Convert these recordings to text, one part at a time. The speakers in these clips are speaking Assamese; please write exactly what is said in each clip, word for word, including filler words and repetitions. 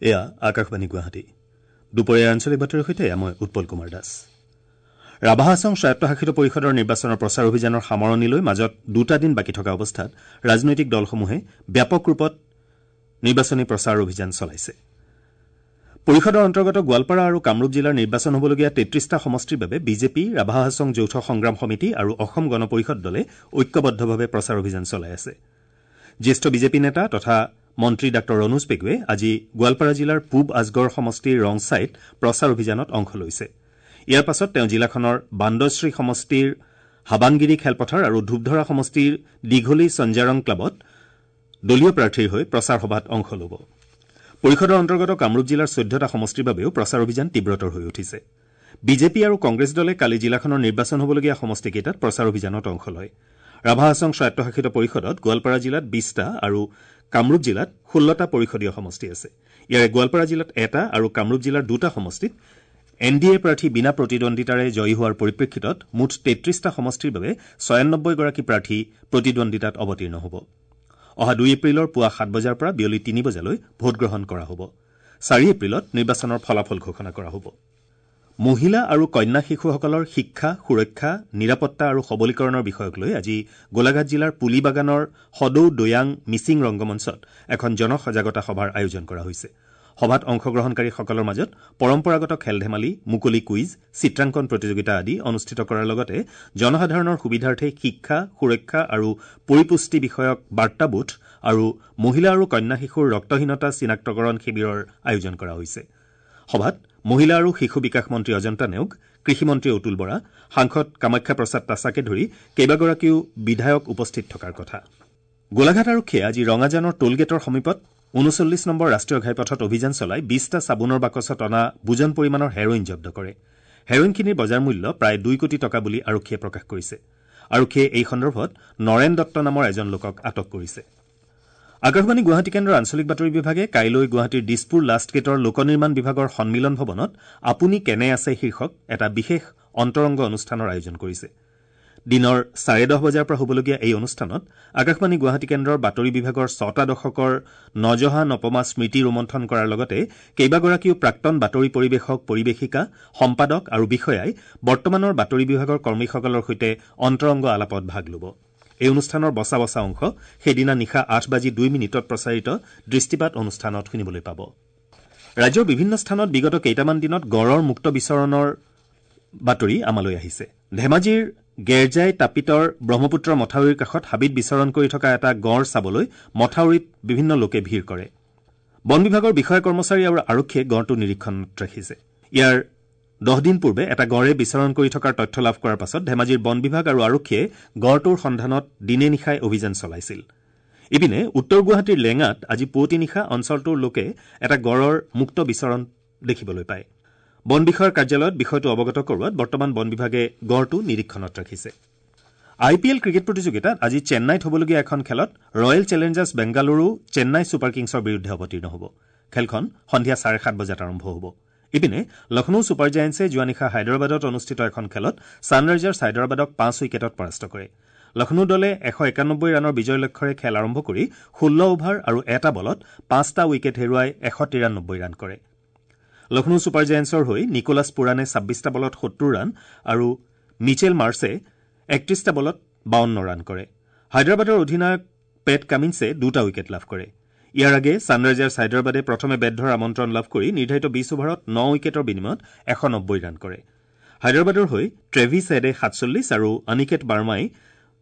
এয়া আকাশবাণী গুৱাহাটী। দুপৰীয়াৰ আঞ্চলিক বাতৰিৰ সৈতে মই উৎপল কুমাৰ দাস। ৰাভা হাছং স্বায়ত্তশাসিত পৰিষদৰ নিৰ্বাচনৰ প্ৰচাৰ অভিযানৰ সামৰণিলৈ মাজত দুটা দিন বাকী থকা অৱস্থাত ৰাজনৈতিক দলসমূহে ব্যাপক ৰূপত নিৰ্বাচনী প্ৰচাৰ অভিযান চলাইছে। পৰিষদৰ অন্তৰ্গত গোৱালপাৰা আৰু কামৰূপ জিলাৰ নিৰ্বাচন হ'বলগীয়া তেত্ৰিশটা সমষ্টিৰ বাবে বিজেপি, ৰাভা হাছং যৌথ সংগ্ৰাম সমিতি আৰু অসম গণ পৰিষদ দলে ঐক্যবদ্ধভাৱে প্ৰচাৰ অভিযান চলাই আছে। জ্যেষ্ঠ বিজেপি নেতা তথা মন্ত্ৰী ডাঃ ৰণোজ পেগুৱে আজি গোৱালপাৰা জিলাৰ পূব আজগড় সমষ্টিৰ ৰংচাইত প্ৰচাৰ অভিযানত অংশ লৈছে। ইয়াৰ পাছত তেওঁ জিলাখনৰ বান্দশ্ৰী সমষ্টিৰ হাবাংগিৰি খেলপথাৰ আৰু ধূপধৰা সমষ্টিৰ দীঘলী সঞ্জাৰং ক্লাবত দলীয় প্ৰাৰ্থীৰ হৈ প্ৰচাৰ সভাত অংশ ল'ব। পৰিষদৰ অন্তৰ্গত কামৰূপ জিলাৰ চৈধ্যটা সমষ্টিৰ বাবেও প্ৰচাৰ অভিযান তীব্ৰতৰ হৈ উঠিছে। বিজেপি আৰু কংগ্ৰেছ দলে কালি জিলাখনৰ নিৰ্বাচন হ'বলগীয়া সমষ্টিকেইটাত প্ৰচাৰ অভিযানত অংশ লয়। ৰাভা হাছং স্বায়ত্তশাসিত পৰিষদত গোৱালপাৰা জিলাত বিশটা আৰু কামৰূপ জিলাত ষোল্লটা পৰিষদীয় সমষ্টি আছে। ইয়াৰে গোৱালপাৰা জিলাত এটা আৰু কামৰূপ জিলাৰ দুটা সমষ্টিত এন ডি এ প্ৰাৰ্থী বিনা প্ৰতিদ্বন্দ্বিতাৰে জয়ী হোৱাৰ পৰিপ্ৰেক্ষিতত মুঠ তেত্ৰিশটা সমষ্টিৰ বাবে ছয়ানব্বৈগৰাকী প্ৰাৰ্থী প্ৰতিদ্বন্দ্বিতাত অৱতীৰ্ণ হ'ব। অহা দুই এপ্ৰিলৰ পুৱা সাত বজাৰ পৰা বিয়লি তিনি বজালৈ ভোটগ্ৰহণ কৰা হ'ব। চাৰি এপ্ৰিলত নিৰ্বাচনৰ ফলাফল ঘোষণা কৰা হ'ব। মহিলা আৰু কন্যা শিশুসকলৰ শিক্ষা, সুৰক্ষা, নিৰাপত্তা আৰু সবলীকৰণৰ বিষয়ক লৈ আজি গোলাঘাট জিলাৰ পুলিবাগানৰ সদৌ দৈয়াং মিচিং ৰংগমঞ্চত এখন জনসজাগতা সভাৰ আয়োজন কৰা হৈছে। সভাত অংশগ্ৰহণকাৰীসকলৰ মাজত পৰম্পৰাগত খেল ধেমালি, মুকলি কুইজ, চিত্ৰাংকন প্ৰতিযোগিতা আদি অনুষ্ঠিত কৰাৰ লগতে জনসাধাৰণৰ সুবিধাৰ্থে শিক্ষা, সুৰক্ষা আৰু পৰিপুষ্টি বিষয়ক বাৰ্তা বুথ আৰু মহিলা আৰু কন্যা শিশুৰ ৰক্তহীনতা চিনাক্তকৰণ শিবিৰৰ আয়োজন কৰা হৈছে। সভাত মহিলা আৰু শিশু বিকাশ মন্ত্ৰী অজন্তা নেওগ, কৃষিমন্ত্ৰী অতুল বৰা, সাংসদ কামাখ্যা প্ৰসাদ তাছাকে ধৰি কেইবাগৰাকীও বিধায়ক উপস্থিত থকাৰ কথা। গোলাঘাট আৰক্ষীয়ে আজি ৰঙাজানৰ টোলগেটৰ সমীপত ঊনচল্লিছ নম্বৰ ৰাষ্ট্ৰীয় ঘাইপথত অভিযান চলাই বিশটা চাবোনৰ বাকচত অনা বুজন পৰিমাণৰ হেৰইন জব্দ কৰে। হেৰইনখিনিৰ বজাৰ মূল্য প্ৰায় দুই কোটি টকা বুলি আৰক্ষীয়ে প্ৰকাশ কৰিছে। আৰক্ষীয়ে এই সন্দৰ্ভত নৰেন দত্ত নামৰ এজন লোকক আটক কৰিছে। আকাশবাণী গুৱাহাটী কেন্দ্ৰৰ আঞ্চলিক বাতৰি বিভাগে কাইলৈ গুৱাহাটীৰ দিছপুৰ লাষ্টগেটৰ লোক নিৰ্মাণ বিভাগৰ সন্মিলন ভৱনত আপুনি কেনে আছে শীৰ্ষক এটা বিশেষ অন্তৰংগ অনুষ্ঠানৰ আয়োজন কৰিছে। দিনৰ চাৰে দহ বজাৰ পৰা হ'বলগীয়া এই অনুষ্ঠানত আকাশবাণী গুৱাহাটী কেন্দ্ৰৰ বাতৰি বিভাগৰ ছটা দশকৰ নজহা নপমা স্মৃতি ৰোমন্থন কৰাৰ লগতে কেইবাগৰাকীও প্ৰাক্তন বাতৰি পৰিৱেশক, পৰিৱেশিকা, সম্পাদক আৰু বিষয়াই বৰ্তমানৰ বাতৰি বিভাগৰ কৰ্মীসকলৰ সৈতে অন্তৰংগ আলাপত ভাগ ল'ব। এই অনুষ্ঠানৰ বচা বচা অংশ সেইদিনা নিশা আঠ বাজি দুই মিনিটত প্ৰচাৰিত দৃষ্টিপাত অনুষ্ঠানত শুনিবলৈ পাব। ৰাজ্যৰ বিভিন্ন স্থানত বিগত কেইটামান দিনত গঁড়ৰ মুক্ত বিচৰণৰ বাতৰি আমালৈ আহিছে। ধেমাজিৰ গেৰজাই তাপিতৰ ব্ৰহ্মপুত্ৰৰ মথাউৰিৰ কাষত হাবিত বিচৰণ কৰি থকা এটা গঁড় চাবলৈ মথাউৰিত বিভিন্ন লোকে ভিৰ কৰে। বন বিভাগৰ বিষয়া কৰ্মচাৰী আৰু আৰক্ষীয়ে গঁড়টো নিৰীক্ষণত ৰাখিছে। ইয়াৰ দহ দিন পূৰ্বে এটা গঁড়ে বিচৰণ কৰি থকাৰ তথ্য লাভ কৰাৰ পাছত ধেমাজিৰ বন বিভাগ আৰু আৰক্ষীয়ে গঁড়টোৰ সন্ধানত দিনে নিশাই অভিযান চলাইছিল। ইপিনে উত্তৰ গুৱাহাটীৰ লেঙাত আজি পুৱতি নিশা অঞ্চলটোৰ লোকে এটা গঁড়ৰ মুক্ত বিচৰণ দেখিবলৈ পায়। বন বিষয়াৰ কাৰ্যালয়ত বিষয়টো অৱগত কৰোৱাত বৰ্তমান বন বিভাগে গঁড়টো নিৰীক্ষণত ৰাখিছে। আই পি এল ক্ৰিকেট প্ৰতিযোগিতাত আজি চেন্নাইত হ'বলগীয়া এখন খেলত royal challengers Bengaluru Chennai super কিংছৰ বিৰুদ্ধে অৱতীৰ্ণ হ'ব। খেলখন সন্ধিয়া চাৰে সাত বজাত আৰম্ভ হ'ব। ইপিনে লক্ষ্ণৌ ছুপাৰ জায়েণ্টছে যোৱা নিশা হায়দৰাবাদত অনুষ্ঠিত এখন খেলত ছানৰাইজাৰ্ছ হায়দৰাবাদক পাঁচ উইকেটত পৰাস্ত কৰে। লক্ষ্ণৌ দলে এশ একানব্বৈ ৰানৰ বিজয় লক্ষ্যৰে খেল আৰম্ভ কৰি ষোল্ল অভাৰ আৰু এটা বলত পাঁচটা উইকেট হেৰুৱাই এশ তিৰানব্বৈ ৰান কৰে। লক্ষ্ণৌ ছুপাৰ জায়েণ্টছৰ হৈ নিকোলাছ পুৰাণে ছাব্বিছটা বলত সত্তৰ ৰান আৰু মিচেল মাৰ্ছে একত্ৰিছটা বলত বাৱন্ন ৰান কৰে। হায়দৰাবাদৰ অধিনায়ক পেট কামিন্সে দুটা উইকেট লাভ কৰে। ইয়াৰ আগে ছানৰাইজাৰ্ছ হায়দৰাবাদে প্ৰথমে বেট ধৰাৰ আমন্ত্ৰণ লাভ কৰি নিৰ্ধাৰিত বিছ অভাৰত ন উইকেটৰ বিনিময়ত এশ নব্বৈ ৰান কৰে। হায়দৰাবাদৰ হৈ ট্ৰেভিছ হেডে সাতচল্লিছ আৰু অনিকেত বাৰ্মাই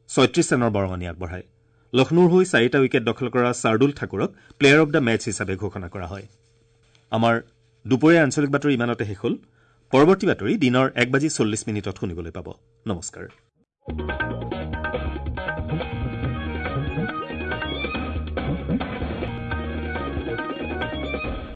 ছয়ত্ৰিছ ৰানৰ বৰঙণি আগবঢ়ায়। লক্ষ্ণৌৰ হৈ চাৰিটা উইকেট দখল কৰা শাৰ্দুল ঠাকুৰক প্লেয়াৰ অব the match হিচাপে ঘোষণা কৰা হয়। আমাৰ দুপৰীয়া আঞ্চলিক বাতৰি ইমানতে শেষ হ'ল। পৰৱৰ্তী বাতৰি দিনৰ এক বাজি চল্লিছ মিনিটত শুনিবলৈ পাব। নমস্কাৰ।